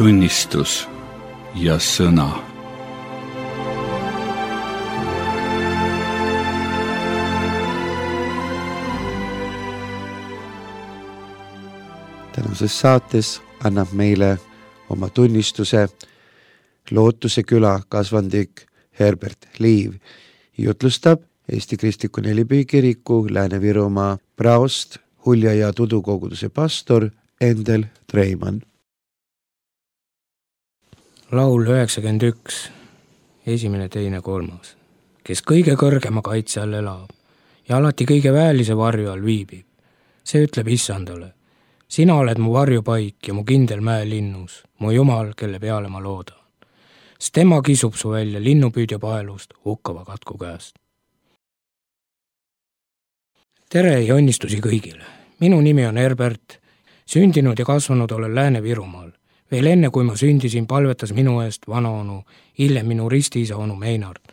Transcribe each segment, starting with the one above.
tunnistus ja sõna. Tänases saates annab meile oma tunnistuse Lootuse küla kasvandik Herbert Liiv. Jutlustab Eesti Kristliku Nelipühi kiriku Lääne-Virumaa praost, Hulja ja Tudu koguduse pastor Endel Treimann. Laul 91, 1., 2., 3. Kes kõige kõrgema kaitse all elab ja alati kõige väelise varju all viibib, see ütleb Issandale: sina oled mu varjupaik ja mu kindel mäelinnus, mu Jumal, kelle peale ma loodan. Sest tema kisub su välja linnupüüdja paelust hukkava katku käest. Tere ja õnnistusi kõigile. Minu nimi on Herbert, sündinud ja kasvanud olen Lääne-Virumaal. Veel enne, kui ma sündisin, palvetas minu eest vanaonu, hiljem minu ristiisa onu Meinard,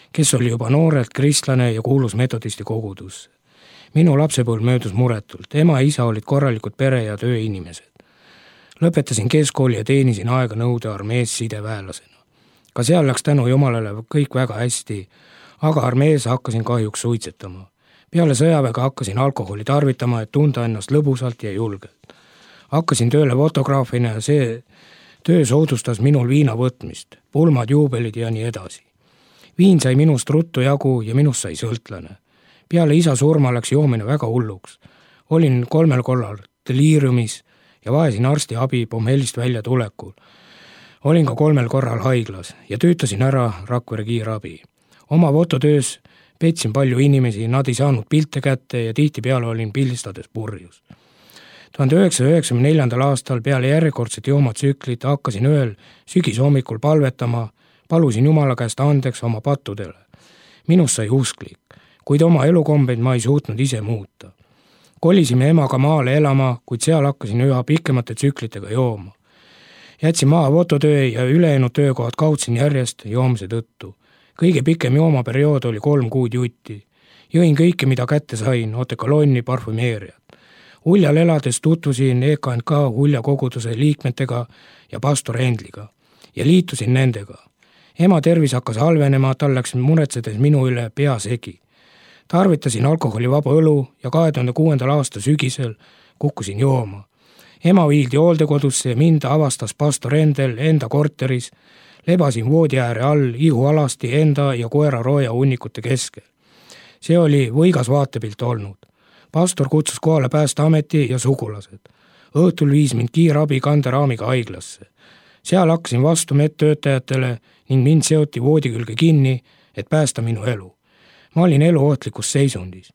kes oli juba noorelt kristlane ja kuulus metodisti kogudusse. Minu lapsepõlv möödus muretult. Ema ja isa olid korralikud pere- ja tööinimesed. Lõpetasin keskkooli ja teenisin aega nõude armees sideväelasena. Ka seal läks tänu Jumalale kõik väga hästi, aga armees hakkasin kahjuks suitsetama. Peale sõjaväega hakkasin alkoholi tarvitama, et tunda ennast lõbusalt ja julgelt. Hakkasin tööle fotograafina ja see töö soodustas minul viina võtmist, pulmad, juubelid ja nii edasi. Viin sai minust ruttu jagu ja minust sai sõltlane. Peale isa surma läks joomine väga hulluks. Olin 3 korral deliiriumis ja vajasin arsti abi pommelist välja tulekul. Olin ka 3 korral haiglas ja töötasin ära Rakvere kiirabi. Oma fototöös petsin palju inimesi, nad ei saanud pilte kätte ja tihtipeale olin pildistades purjus. 1994. aastal peale järjekordset joomatsüklit hakkasin ühel sügishommikul palvetama, palusin Jumala käest andeks oma pattudele. Minust sai usklik, kuid oma elukombeid ma ei suutnud ise muuta. Kolisime emaga maale elama, kuid seal hakkasin üha pikemate tsüklitega jooma. Jätsin maha fototöö ja ülejäänud töökohad kaudsin järjest joomise tõttu. Kõige pikem joomaperiood oli 3 kuud jutti. Jõin kõike, mida kätte sain, otekolonni, parfümeeriat. Huljal elades tutvusin EKNK Hulja koguduse liikmetega ja pastor Endliga ja liitusin nendega. Ema tervis hakkas halvenema, tal läks muretsedes minu üle pea segi. Tarvitasin alkoholivaba õlu ja 2006. aasta sügisel kukkusin jooma. Ema viildi hooldekodusse ja mind avastas pastor Endel enda korteris. Lebasin voodi ääre all ihualasti enda ja koera rooja hunnikute keskel. See oli võigas vaatepilt olnud. Pastor kutsus kohale Päästeameti ja sugulased. Õhtul viis mind kiirabi kanderaamiga haiglasse. Seal hakkasin vastu medtöötajatele ning mind seoti voodi külge kinni, et päästa minu elu. Ma olin eluohtlikus seisundis.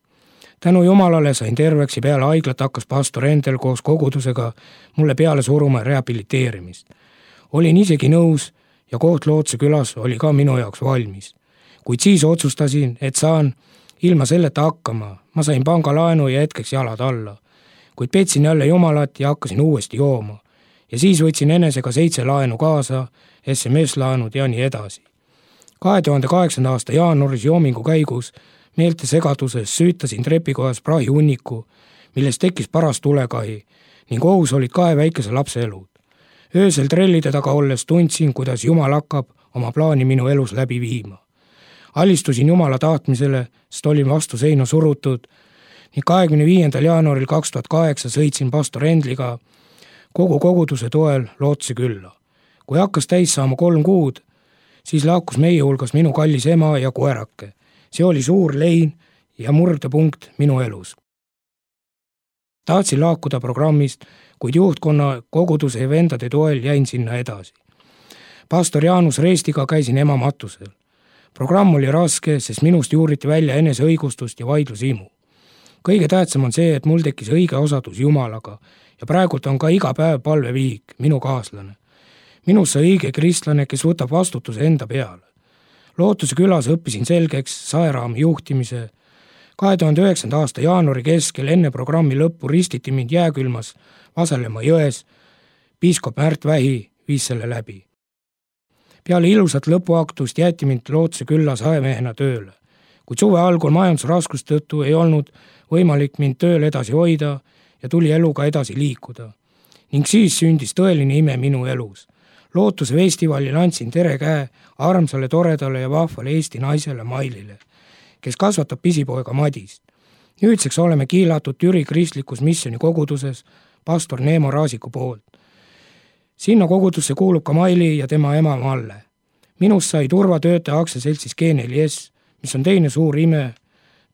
Tänu Jumalale sain terveks ja peale haiglat hakkas pastor Endel koos kogudusega mulle peale suruma rehabiliteerimist. Olin isegi nõus ja koht Lootuse külas oli ka minu jaoks valmis. Kuid siis otsustasin, et saan ilma selleta hakkama. Ma sain pangalaenu ja hetkeks jalad alla. Kuid petsin jälle Jumalat ja hakkasin uuesti jooma. Ja siis võtsin enesega 7 laenu kaasa, SMS-laenud ja nii edasi. 2008. aasta jaanuaris joomingu käigus meelte segaduses süütasin trepikojas prahi hunniku, millest tekkis paras tulekahi ning ohus olid 2 väikese lapse elud. Öösel trellide taga olles tundsin, kuidas Jumal hakkab oma plaani minu elus läbi viima. Alistusin Jumala tahtmisele, sest olin vastu seina surutud ning 25. jaanuaril 2008 sõitsin pastor Endliga kogu koguduse toel Lootuse külla. Kui hakkas täis saama 3 kuud, siis lahkus meie hulgas minu kallis ema ja koerake. See oli suur lein ja murdepunkt minu elus. Tahtsin lahkuda programmist, kuid juhtkonna, koguduse ja vendade toel jäin sinna edasi. Pastor Jaanus Reestiga käisin ema matusel. Programm oli raske, sest minust juuriti välja eneseõigustust ja vaidlusimu. Kõige tähtsam on see, et mul tekkis õige osadus Jumalaga ja praegult on ka iga päev palveviik, minu kaaslane. Minus sai õige kristlane, kes võtab vastutuse enda peale. Lootuse külas õppisin selgeks saeraami juhtimise. 2009. aasta jaanuari keskel enne programmi lõppu ristiti mind jääkülmas Vasalemma jões. Piiskop Märt Vähi viis selle läbi. Peale ilusat lõpuaktust jäeti mind Lootuse külla saemehena tööle. Kuid suve algul majandusraskust tõttu ei olnud võimalik mind tööl edasi hoida ja tuli eluga edasi liikuda. Ning siis sündis tõeline ime minu elus. Lootuse festivalil andsin tere käe armsale, toredale ja vahvale Eesti naisele Mailile, kes kasvatab pisipoega Madist. Nüüdseks oleme kiilatud Türi kristlikus missioni koguduses pastor Neemo Raasiku poolt. Sinna kogudusse kuulub ka Maili ja tema ema Malle. Minust sai turvatöötaja aktsiaseltsis G4S, mis on teine suur ime.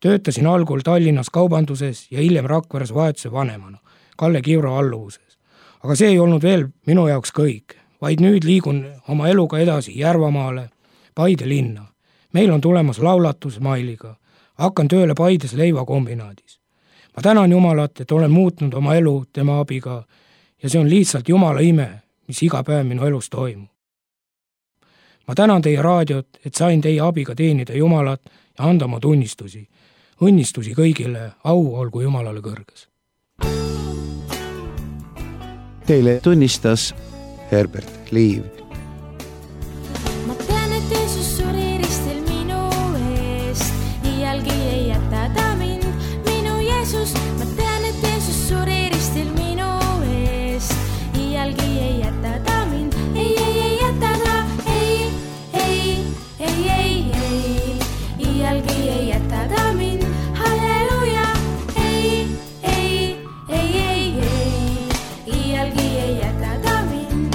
Töötasin algul Tallinnas kaubanduses ja hiljem Rakveres vahetuse vanemana, Kalle Kiuro alluvuses. Aga see ei olnud veel minu jaoks kõik, vaid nüüd liigun oma eluga edasi Järvamaale, Paide linna. Meil on tulemas laulatus Mailiga. Hakkan tööle Paides leivakombinaadis. Ma tänan Jumalat, et olen muutnud oma elu tema abiga ja see on lihtsalt Jumala ime, mis iga päev minu elus toimub. Ma tänan teie raadiot, et sain teie abiga teenida Jumalat ja anda oma tunnistusi. Õnnistusi kõigile, au olgu Jumalale kõrges. Teile tunnistas Herbert Liiv. Ma tean, et Jeesus suri ristil minu eest, iialgi ei jäta ta mind, minu Jeesus. Ma tean, et Jeesus suri ristil minu eest, iialgi ei jäta ta mind, ei jäta ta, ei, iialgi ei jäta ta mind, halleluja, ei, iialgi ei jäta ta mind.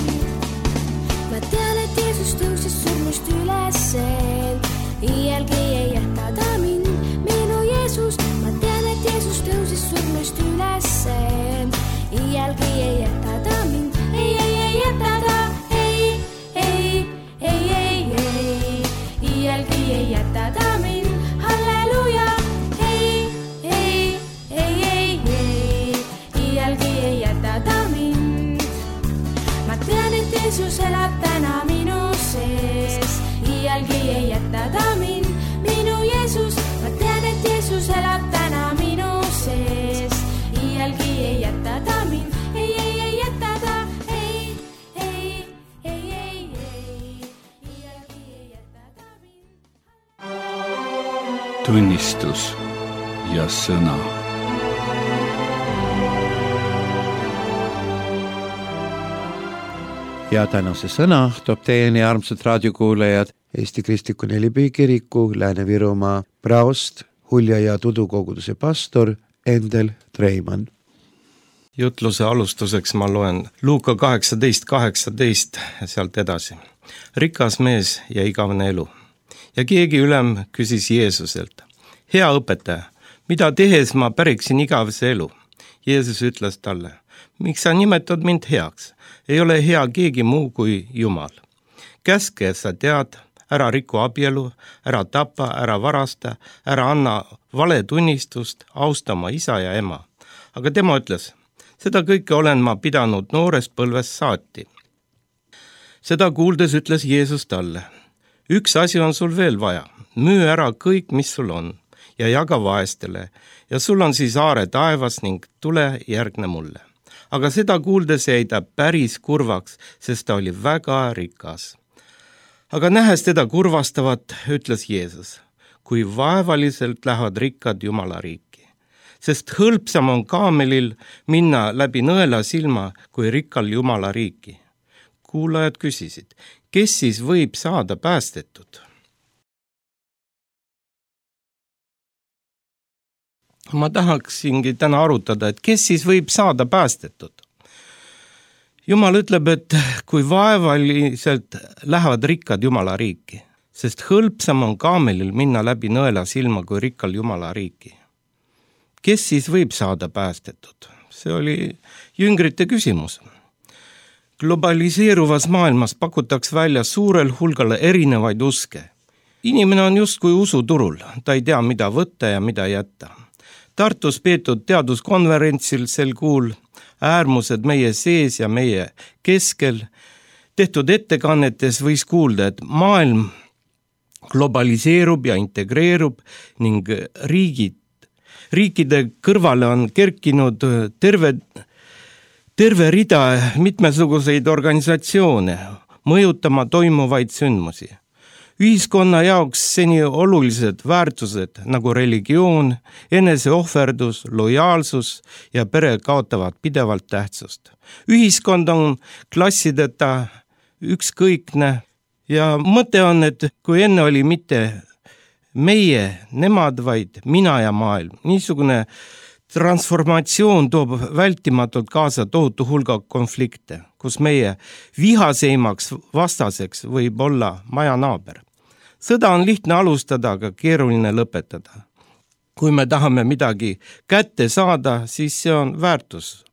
Ma tean, et Jeesus tõusis surnust üleseen, iialgi ei jäta ta mind, minu Jeesus. Ma tean, et Jeesus tõusis surnust üleseen, iialgi ei jäta ta mind, ei jäta ta, iialgi ei jäta ta mind, halleluja, ei, iialgi ei jäta ta mind. Ma tean, et Jeesus elab täna minu sees, iialgi ei jäta ta mind, minu Jeesus. Ma tean, et Jeesus elab täna minu sees, iialgi ei jäta ta mind, ei jäta ta, iialgi ei jäta ta mind. Tunnistus ja sõna. Ja tänase sõna toob teieni armsad raadiokuulajad Eesti Kristliku Nelipühi Kiriku Lääne-Virumaa praost, Hulja ja Tudu koguduse pastor Endel Treimann. Jutluse alustuseks ma loen Luuka 18:18 ja sealt edasi. Rikas mees ja igavene elu. Ja keegi ülem küsis Jeesuselt, hea õpetaja, mida tehes ma päriksin igavese elu? Jeesus ütles talle, miks sa nimetad mind heaks? Ei ole hea keegi muu kui Jumal. Käske, sa tead, ära riku abielu, ära tapa, ära varasta, ära anna vale tunnistust, austa oma isa ja ema. Aga tema ütles, seda kõike olen ma pidanud noorest põlvest saati. Seda kuuldes ütles Jeesus talle, üks asi on sul veel vaja, müü ära kõik, mis sul on, ja jaga vaestele, ja sul on siis aare taevas ning tule järgne mulle. Aga seda kuuldes jäi ta päris kurvaks, sest ta oli väga rikas. Aga nähes teda kurvastavat, ütles Jeesus, kui vaevaliselt lähevad rikkad Jumala riiki. Sest hõlpsam on kaamelil minna läbi nõela silma, kui rikkal Jumala riiki. Kuulajad küsisid, kes siis võib saada päästetud? Ma tahaksingi täna arutada, et kes siis võib saada päästetud. Jumal ütleb, et kui vaevaliselt lähevad rikkad Jumala riiki, sest hõlpsam on kaamelil minna läbi nõela silma kui rikkal Jumala riiki. Kes siis võib saada päästetud? See oli jüngrite küsimus. Globaliseeruvas maailmas pakutakse välja suurel hulgal erinevaid uske. Inimene on justkui usuturul, ta ei tea, mida võtta ja mida jätta. Tartus peetud teaduskonverentsil sel kuul äärmused meie sees ja meie keskel tehtud ettekannetes võis kuulda, et maailm globaliseerub ja integreerub ning riikide kõrvale on kerkinud terve rida mitmesuguseid organisatsioone mõjutama toimuvaid sündmusi. Ühiskonna jaoks seni olulised väärtused nagu religioon, eneseohverdus, lojaalsus ja pere kaotavad pidevalt tähtsust. Ühiskond on klassideta ükskõikne ja mõte on, et kui enne oli mitte meie, nemad, vaid mina ja maailm. Niisugune transformatsioon toob vältimatult kaasa tohutu hulga konflikte, kus meie vihaseimaks vastaseks võib olla majanaaber. Sõda on lihtne alustada, aga keeruline lõpetada. Kui me tahame midagi kätte saada, siis see on väärtus.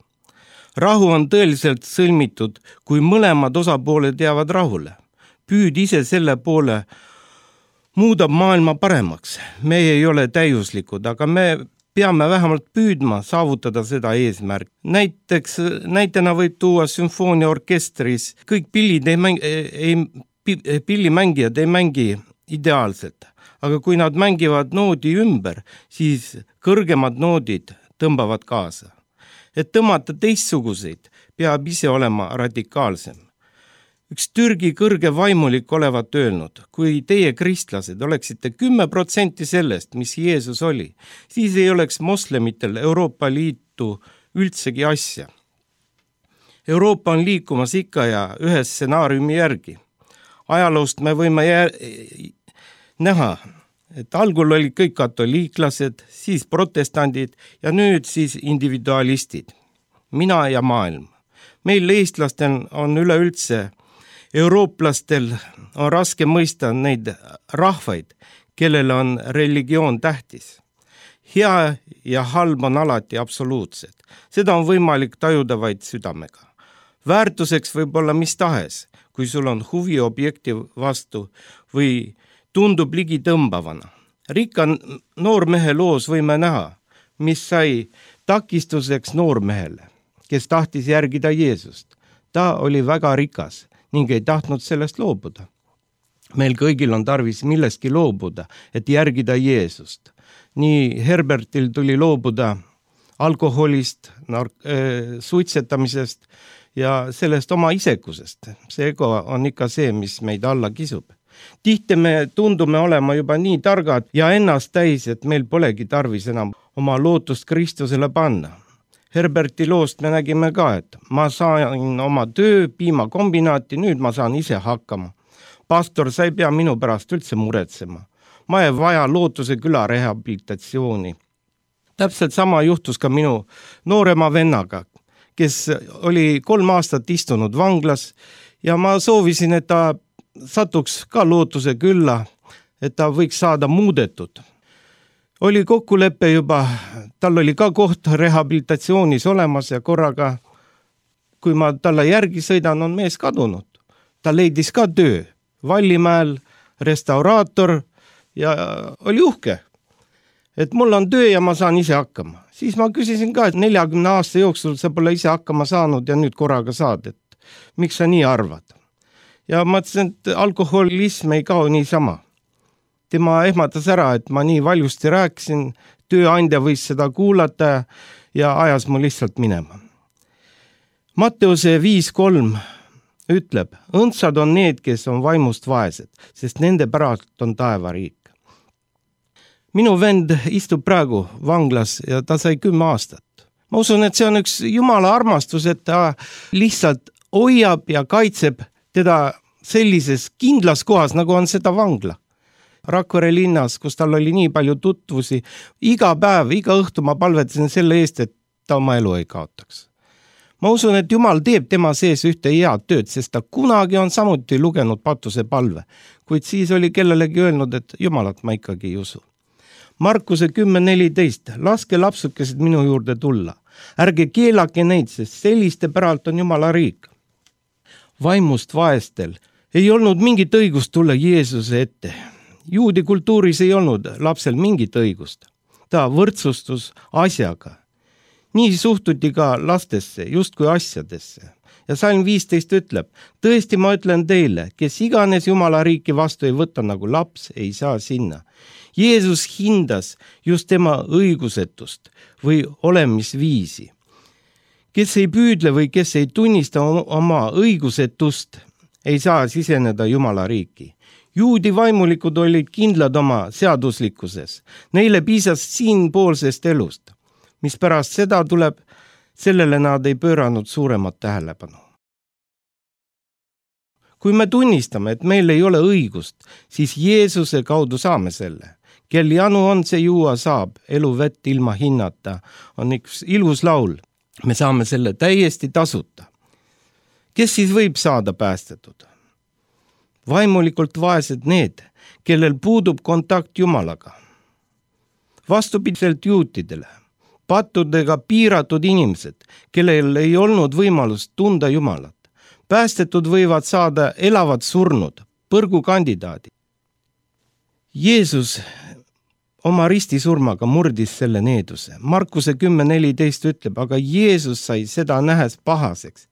Rahu on tõeliselt sõlmitud, kui mõlemad osapooled jäävad rahule. Püüd ise selle poole muudab maailma paremaks. Me ei ole täiuslikud, aga me peame vähemalt püüdma saavutada seda eesmärk. Näitena võib tuua sümfooniaorkestris. Kõik pillimängijad ei mängi ideaalselt, aga kui nad mängivad noodi ümber, siis kõrgemad noodid tõmbavad kaasa. Et tõmmata teistsuguseid, peab ise olema radikaalsem. Üks Türgi kõrge vaimulik olevat öelnud, kui teie kristlased oleksite 10% sellest, mis Jeesus oli, siis ei oleks moslemitel Euroopa Liitu üldsegi asja. Euroopa on liikumas ikka ja ühe stsenaariumi järgi. Ajaloost me võime näha, et algul olid kõik katoliiklased, siis protestandid ja nüüd siis individualistid. Mina ja maailm. Meil eestlastel on üleüldse, eurooplastel on raske mõista neid rahvaid, kellel on religioon tähtis. Hea ja halb on alati absoluutsed. Seda on võimalik tajuda vaid südamega. Väärtuseks võib olla mis tahes, kui sul on huvi objekti vastu või tundub ligi tõmbavana. Rikka noormehe loos võime näha, mis sai takistuseks noormehele, kes tahtis järgida Jeesust. Ta oli väga rikas ning ei tahtnud sellest loobuda. Meil kõigil on tarvis millestki loobuda, et järgida Jeesust. Nii Herbertil tuli loobuda alkoholist, suitsetamisest ja sellest oma isekusest. See ego on ikka see, mis meid alla kisub. Tihti me tundume olema juba nii targad ja ennast täis, et meil polegi tarvis enam oma lootust Kristusele panna. Herberti loost me nägime ka, et ma sain oma töö piimakombinaati, nüüd ma saan ise hakkama. Pastor, sa ei pea minu pärast üldse muretsema. Ma ei vaja Lootuse küla rehabilitatsiooni. Täpselt sama juhtus ka minu noorema vennaga, kes oli 3 aastat istunud vanglas ja ma soovisin, et ta satuks ka Lootuse külla, et ta võiks saada muudetud. Oli kokkulepe juba, tal oli ka koht rehabilitatsioonis olemas ja korraga, kui ma talle järgi sõidan, on mees kadunud. Ta leidis ka töö, Vallimäel, restauraator ja oli uhke, et mul on töö ja ma saan ise hakkama. Siis ma küsisin ka, et 40 aasta jooksul sa pole ise hakkama saanud ja nüüd korraga saad, et miks sa nii arvad? Ja ma ütlesin, et alkoholism ei kao niisama. Tema ehmatas ära, et ma nii valjusti rääkisin, tööandja võis seda kuulata ja ajas mu lihtsalt minema. Matteuse 5.3 ütleb, õndsad on need, kes on vaimust vaesed, sest nende pärast on taevariik. Minu vend istub praegu vanglas ja ta sai 10 aastat. Ma usun, et see on üks Jumala armastus, et ta lihtsalt hoiab ja kaitseb teda sellises kindlas kohas, nagu on seda vangla. Rakvere linnas, kus tal oli nii palju tutvusi, iga päev, iga õhtu ma palvetasin selle eest, et ta oma elu ei kaotaks. Ma usun, et Jumal teeb tema sees ühte head tööd, sest ta kunagi on samuti lugenud Patuse palve, kuid siis oli kellelegi öelnud, et Jumalat ma ikkagi ei usu. Markuse 10.14, laske lapsukesed minu juurde tulla. Ärge keelake neid, sest selliste päralt on Jumala riik. Vaimust vaestel ei olnud mingit õigust tulla Jeesuse ette. Juudi kultuuris ei olnud lapsel mingit õigust. Ta võrdsustus asjaga. Nii suhtuti ka lastesse, justkui asjadesse. Ja Salm 15 ütleb, tõesti ma ütlen teile, kes iganes Jumala riiki vastu ei võta nagu laps, ei saa sinna. Jeesus hindas just tema õigusetust või olemisviisi. Kes ei püüdle või kes ei tunnista oma õigusetust, ei saa siseneda Jumala riiki. Juudi vaimulikud olid kindlad oma seaduslikkuses. Neile piisas siinpoolsest elust. Mis pärast seda tuleb, sellele nad ei pööranud suuremat tähelepanu. kui me tunnistame, et meil ei ole õigust, siis Jeesuse kaudu saame selle. Kel janu on, see juua saab, elu vett ilma hinnata. On üks ilus laul. Me saame selle täiesti tasuta. Kes siis võib saada päästetud? Vaimulikult vaesed need, kellel puudub kontakt Jumalaga. Vastupidiselt juutidele, pattudega piiratud inimesed, kellel ei olnud võimalust tunda Jumalat. Päästetud võivad saada elavad surnud, põrgukandidaadid. Jeesus oma ristisurmaga murdis selle needuse. Markuse 10.14 ütleb, aga Jeesus sai seda nähes pahaseks.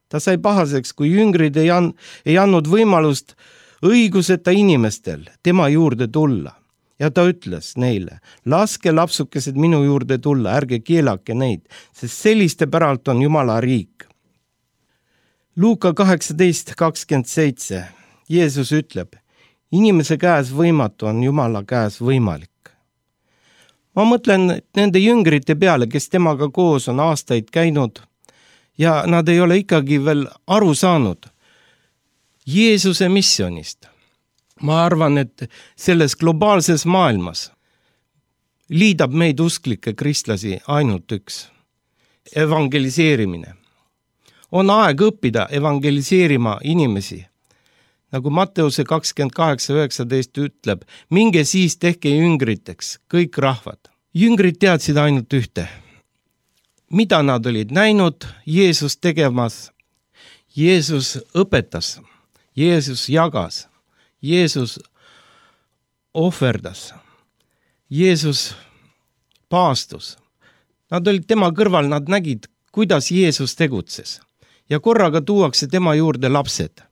Ta sai pahaseks, kui jüngrid ei andnud võimalust õiguseta inimestel tema juurde tulla. Ja ta ütles neile, laske lapsukesed minu juurde tulla, ärge keelake neid, sest selliste päralt on Jumala riik. Luuka 18.27 Jeesus ütleb, inimese käes võimatu on Jumala käes võimalik. Ma mõtlen nende jüngrite peale, kes temaga koos on aastaid käinud ja nad ei ole ikkagi veel aru saanud Jeesuse missionist. Ma arvan, et selles globaalses maailmas liidab meid usklikke kristlasi ainult üks. Evangeliseerimine. On aeg õppida evangeliseerima inimesi. Nagu Matteuse 28.19 ütleb, minge siis tehke jüngriteks, kõik rahvad. Jüngrid teadsid ainult ühte. Mida nad olid näinud Jeesus tegemas? Jeesus õpetas, Jeesus jagas. Jeesus ohverdas, Jeesus paastus. Nad olid tema kõrval, nad nägid, kuidas Jeesus tegutses. Ja korraga tuuakse tema juurde lapsed,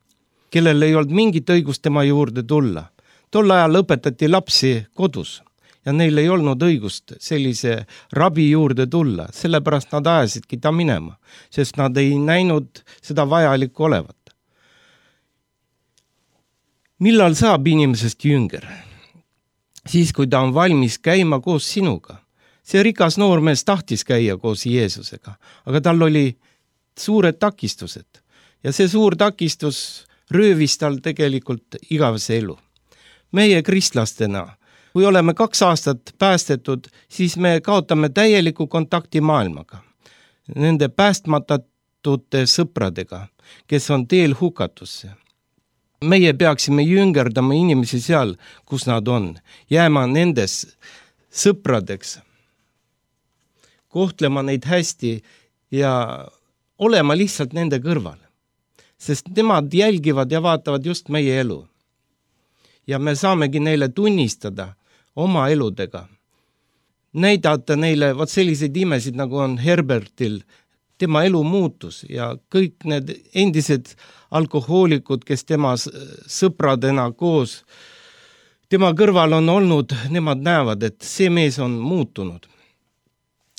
kellel ei olnud mingit õigust tema juurde tulla. Tol ajal õpetati lapsi kodus ja neil ei olnud õigust sellise rabi juurde tulla, sellepärast nad ajasidki ta minema, sest nad ei näinud seda vajalikku olevat. Millal saab inimesest jünger? Siis, kui ta on valmis käima koos sinuga. See rikas noormees tahtis käia koos Jeesusega, aga tal oli suured takistused. Ja see suur takistus röövis tal tegelikult igavese elu. Meie kristlastena, kui oleme 2 aastat päästetud, siis me kaotame täieliku kontakti maailmaga. Nende päästmatute sõpradega, kes on teel hukatusse. Meie peaksime jüngerdama inimesi seal, kus nad on, jääma nendes sõpradeks, kohtlema neid hästi ja olema lihtsalt nende kõrval, sest nemad jälgivad ja vaatavad just meie elu. Ja me saamegi neile tunnistada oma eludega, näidata neile selliseid imesid, nagu on Herbertil, tema elu muutus ja kõik need endised alkohoolikud, kes tema sõpradena koos tema kõrval on olnud, nemad näevad, et see mees on muutunud.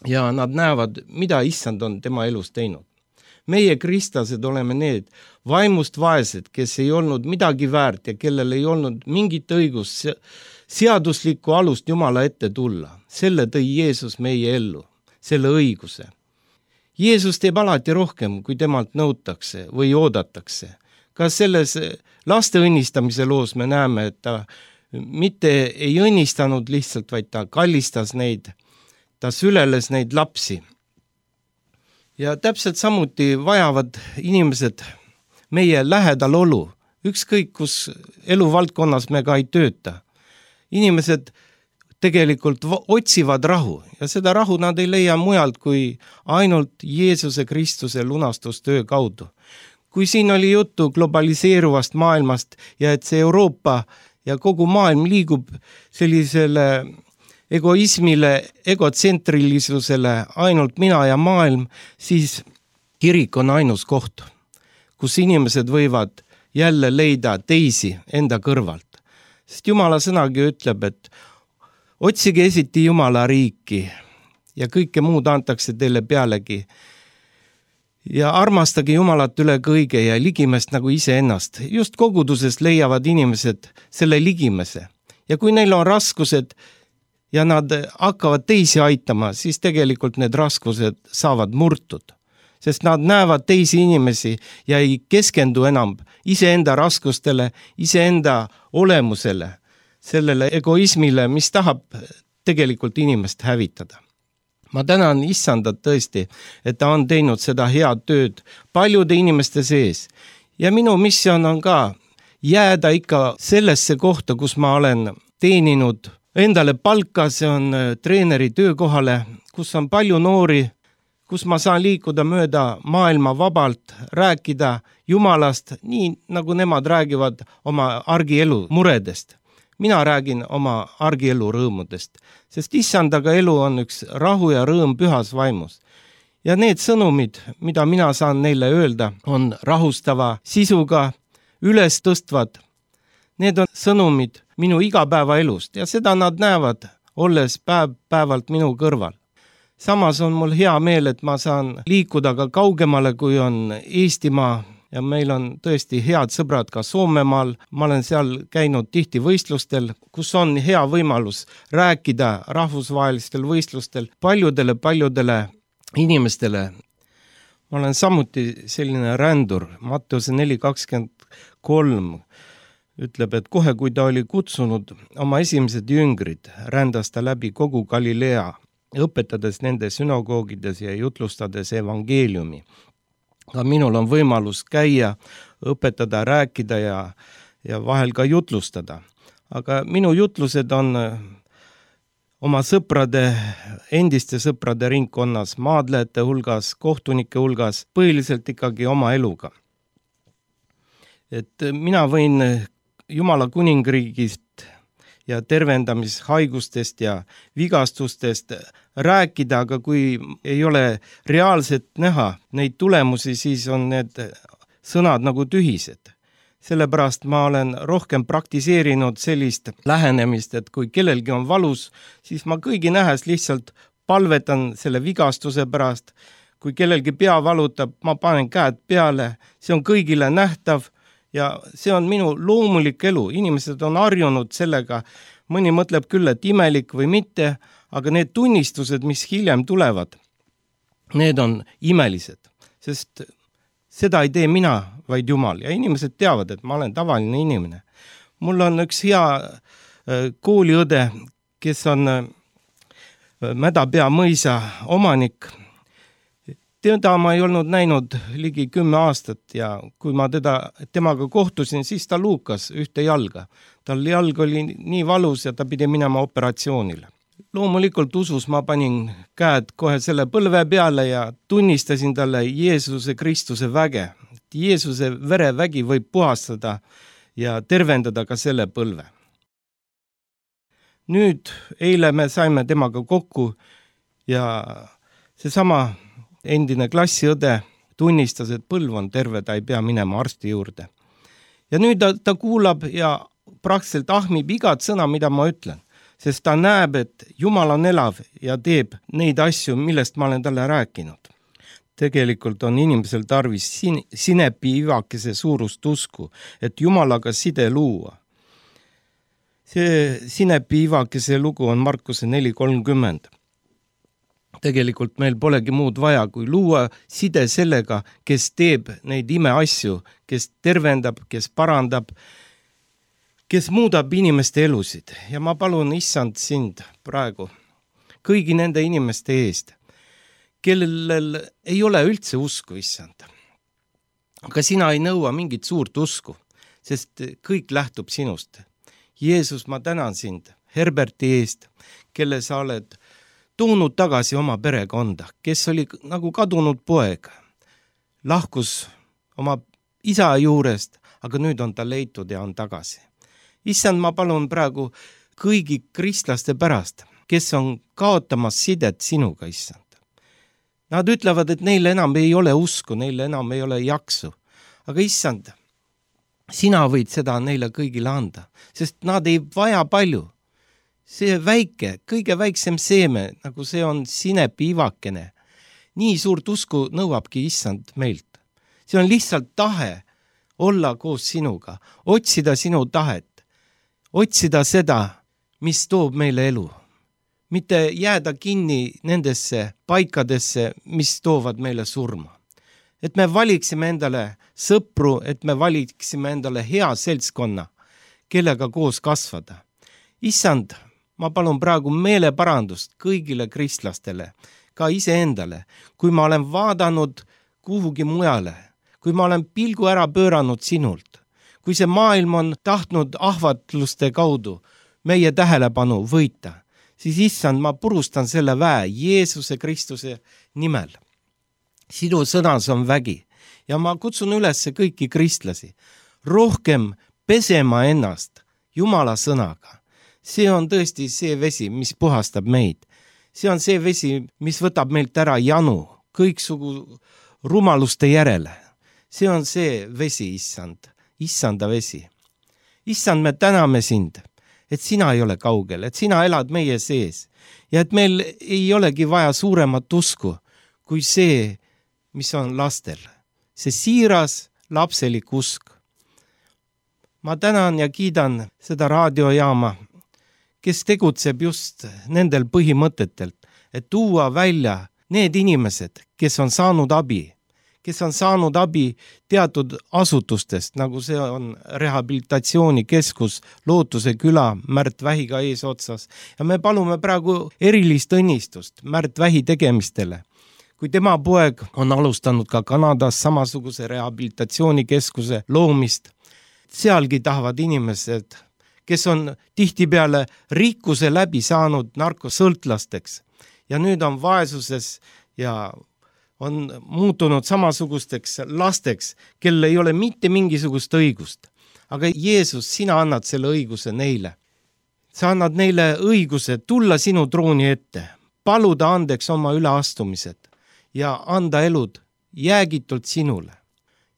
Ja nad näevad, mida issand on tema elus teinud. Meie kristlased oleme need vaimust vaesed, kes ei olnud midagi väärt ja kellel ei olnud mingit õigust seaduslikku alust Jumala ette tulla. Selle tõi Jeesus meie ellu, selle õiguse. Jeesus teeb alati rohkem, kui temalt nõutakse või oodatakse. Ka selles laste õnnistamise loos me näeme, et ta mitte ei õnnistanud lihtsalt, vaid ta kallistas neid, ta süleles neid lapsi. Ja täpselt samuti vajavad inimesed meie lähedal olu, ükskõik kus eluvaldkonnas me ka ei tööta. Inimesed tegelikult otsivad rahu ja seda rahu nad ei leia mujalt kui ainult Jeesuse Kristuse lunastustöö kaudu. Kui siin oli juttu globaliseeruvast maailmast ja et see Euroopa ja kogu maailm liigub sellisele egoismile, egotsentrilisusele, ainult mina ja maailm, siis kirik on ainus koht, kus inimesed võivad jälle leida teisi enda kõrvalt. Sest Jumala sõnagi ütleb, et otsige esiti Jumala riiki ja kõike muud antakse teile pealegi. Ja armastage Jumalat üle kõige ja ligimest nagu iseennast. Just kogudusest leiavad inimesed selle ligimese. Ja kui neil on raskused ja nad hakkavad teisi aitama, siis tegelikult need raskused saavad murtud. sest nad näevad teisi inimesi ja ei keskendu enam iseenda raskustele, iseenda olemusele, sellele egoismile, mis tahab tegelikult inimest hävitada. Ma tänan Issandat tõesti, et ta on teinud seda head tööd paljude inimeste sees ja minu missioon on ka jääda ikka sellesse kohta, kus ma olen teeninud endale palka, see on treeneri töökohale, kus on palju noori, kus ma saan liikuda mööda maailma vabalt, rääkida Jumalast, nii nagu nemad räägivad oma argielu muredest. Mina räägin oma argielu rõõmudest, sest Issandaga elu on üks rahu ja rõõm pühas vaimus. Ja need sõnumid, mida mina saan neile öelda, on rahustava sisuga, üles tõstvad. Need on sõnumid minu igapäevaelust ja seda nad näevad, olles päev-päevalt minu kõrval. Samas on mul hea meel, et ma saan liikuda ka kaugemale, kui on Eestimaa ja meil on tõesti head sõbrad ka Soomemaal. Ma olen seal käinud tihti võistlustel, kus on hea võimalus rääkida rahvusvahelistel võistlustel paljudele inimestele. Ma olen samuti selline rändur. Matteuse 4:23 ütleb, et kohe kui ta oli kutsunud oma esimesed jüngrid, rändas ta läbi kogu Galilea, õpetades nende sünagoogides ja jutlustades evangeeliumi. Ka minul on võimalus käia, õpetada, rääkida ja vahel ka jutlustada. Aga minu jutlused on oma sõprade, endiste sõprade ringkonnas, maadlejate hulgas, kohtunike hulgas, põhiliselt ikkagi oma eluga. Et mina võin Jumala kuningriigist ja tervendamishaigustest ja vigastustest rääkida, aga kui ei ole reaalselt näha neid tulemusi, siis on need sõnad nagu tühised. Sellepärast ma olen rohkem praktiseerinud sellist lähenemist, et kui kellelgi on valus, siis ma kõigi nähes lihtsalt palvetan selle vigastuse pärast. Kui kellelgi pea valutab, ma panen käed peale, see on kõigile nähtav. Ja see on minu loomulik elu. Inimesed on harjunud sellega. Mõni mõtleb küll, et imelik või mitte, aga need tunnistused, mis hiljem tulevad, need on imelised, sest seda ei tee mina, vaid Jumal. Ja inimesed teavad, et ma olen tavaline inimene. Mul on üks hea kooliõde, kes on Mädapea mõisa omanik. Teda ma ei olnud näinud ligi 10 aastat ja kui ma temaga kohtusin, siis ta luukas ühte jalga. Tal jalg oli nii valus ja ta pidi minema operatsioonile. Loomulikult usus ma panin käed kohe selle põlve peale ja tunnistasin talle Jeesuse Kristuse väge. Jeesuse verevägi võib puhastada ja tervendada ka selle põlve. Nüüd eile me saime temaga kokku ja seesama endine klassiõde tunnistas, et põlv on terve, ta ei pea minema arsti juurde. Ja nüüd ta kuulab ja praktiliselt ahmib igat sõna, mida ma ütlen, sest ta näeb, et Jumal on elav ja teeb neid asju, millest ma olen talle rääkinud. Tegelikult on inimesel tarvis sinepi ivakese suurust usku, et Jumalaga side luua. See sinepi ivakese lugu on Markuse 4:30. Tegelikult meil polegi muud vaja, kui luua side sellega, kes teeb neid imeasju, kes tervendab, kes parandab, kes muudab inimeste elusid. Ja ma palun Issand sind praegu kõigi nende inimeste eest, kellel ei ole üldse usku, Issand. Aga sina ei nõua mingit suurt usku, sest kõik lähtub sinust. Jeesus, ma tänan sind Herberti eest, kelle sa oled toonud tagasi oma perekonda, kes oli nagu kadunud poeg. Lahkus oma isa juurest, aga nüüd on ta leitud ja on tagasi. Issand, ma palun praegu kõigi kristlaste pärast, kes on kaotamas sidet sinuga, Issand. Nad ütlevad, et neil enam ei ole usku, neil enam ei ole jaksu. Aga Issand, sina võid seda neile kõigile anda, sest nad ei vaja palju. See väike, kõige väiksem seeme, nagu see on sinepi ivakene. Nii suurt usku nõuabki Issand meilt. See on lihtsalt tahe olla koos sinuga, otsida sinu tahet, otsida seda, mis toob meile elu. Mitte jääda kinni nendesse paikadesse, mis toovad meile surma. et me valiksime endale sõpru, et me valiksime endale hea seltskonna, kellega koos kasvada. Issand, ma palun praegu meeleparandust kõigile kristlastele, ka iseendale, kui ma olen vaadanud kuhugi mujale, kui ma olen pilgu ära pööranud sinult, kui see maailm on tahtnud ahvatluste kaudu meie tähelepanu võita, siis issand, ma purustan selle väe Jeesuse Kristuse nimel. Sinu sõnas on vägi ja ma kutsun üles kõiki kristlasi rohkem pesema ennast Jumala sõnaga. See on tõesti see vesi, mis puhastab meid. See on see vesi, mis võtab meilt ära janu kõiksugu rumaluste järele. See on see vesi, issanda vesi. Issand, me täname sind, et sina ei ole kaugel, et sina elad meie sees ja et meil ei olegi vaja suuremat usku kui see, mis on lastel. See siiras lapselik usk. Ma tänan ja kiidan seda raadiojaama, kes tegutseb just nendel põhimõtetelt, et tuua välja need inimesed, kes on saanud abi teatud asutustest, nagu see on rehabilitatsioonikeskus Lootuse küla Märt Vähiga eesotsas. Ja me palume praegu erilist õnnistust Märt Vähi tegemistele. Kui tema poeg on alustanud ka Kanadas samasuguse rehabilitatsioonikeskuse loomist, sealgi tahavad inimesed, kes on tihtipeale rikkuse läbi saanud narkosõltlasteks ja nüüd on vaesuses ja on muutunud samasugusteks lasteks, kel ei ole mitte mingisugust õigust. Aga Jeesus, sina annad selle õiguse neile. Sa annad neile õiguse tulla sinu trooni ette, paluda andeks oma üleastumised ja anda elud jäägitult sinule.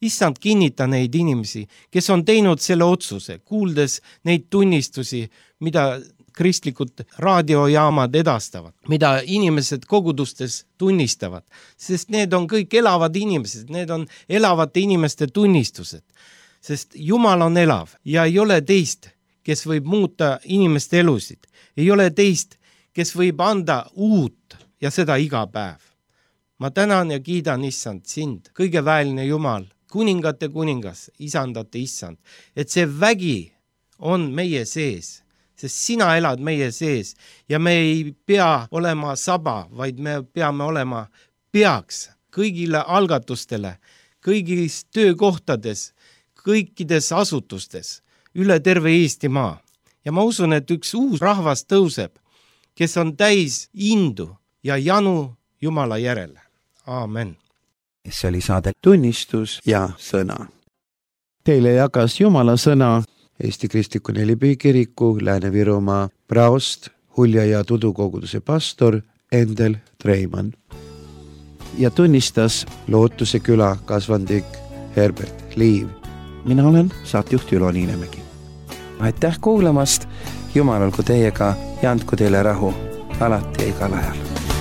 Issand, kinnita neid inimesi, kes on teinud selle otsuse, kuuldes neid tunnistusi, mida kristlikud raadiojaamad edastavad, mida inimesed kogudustes tunnistavad, sest need on kõik elavad inimesed, need on elavate inimeste tunnistused, sest Jumal on elav ja ei ole teist, kes võib muuta inimeste elusid, ei ole teist, kes võib anda uut ja seda iga päev. Ma tänan ja kiidan, issand, sind, kõige väeline Jumal, kuningate kuningas, isandate issand, et see vägi on meie sees, sest sina elad meie sees ja me ei pea olema saba, vaid me peame olema peaks kõigile algatustele, kõigis töökohtades, kõikides asutustes, üle terve Eestimaa. Ja ma usun, et üks uus rahvas tõuseb, kes on täis indu ja janu Jumala järele. Aamen. See oli saade Tunnistus ja sõna. Teile jagas Jumala sõna Eesti Kristliku Nelipühi Kiriku Lääne-Virumaa praost, Hulja ja Tudukoguduse pastor Endel Treimann. Ja tunnistas Lootuse küla kasvandik Herbert Liiv. Mina olen saatejuht Ülo Niinemägi. Aitäh kuulamast, Jumal olgu teiega ja andku teile rahu alati ja igal ajal.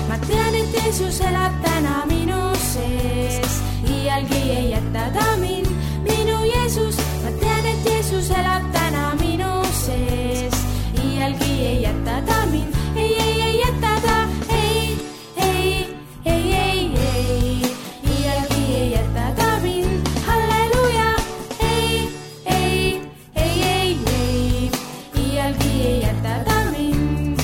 Ma tean, et Jeesus elab täna minu sees, iialgi ei jäta ta mind, minu Jeesus. Ma tean, et Jeesus elab täna minu sees, iialgi ei jäta ta mind, ei jäta ta, ei, iialgi ei jäta ta mind, halleluja, ei, iialgi ei jäta ta mind,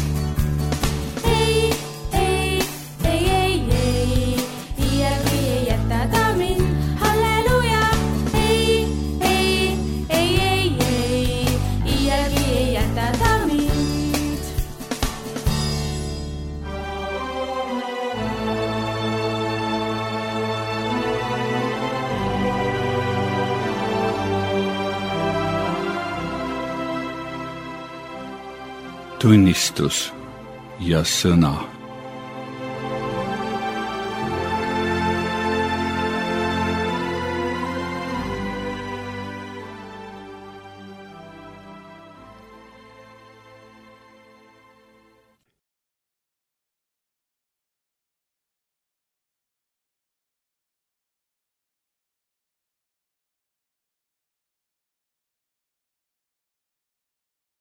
iialgi ei jäta ta mind, halleluja, iialgi ei jäta ta mind. Tunnistus ja sõna.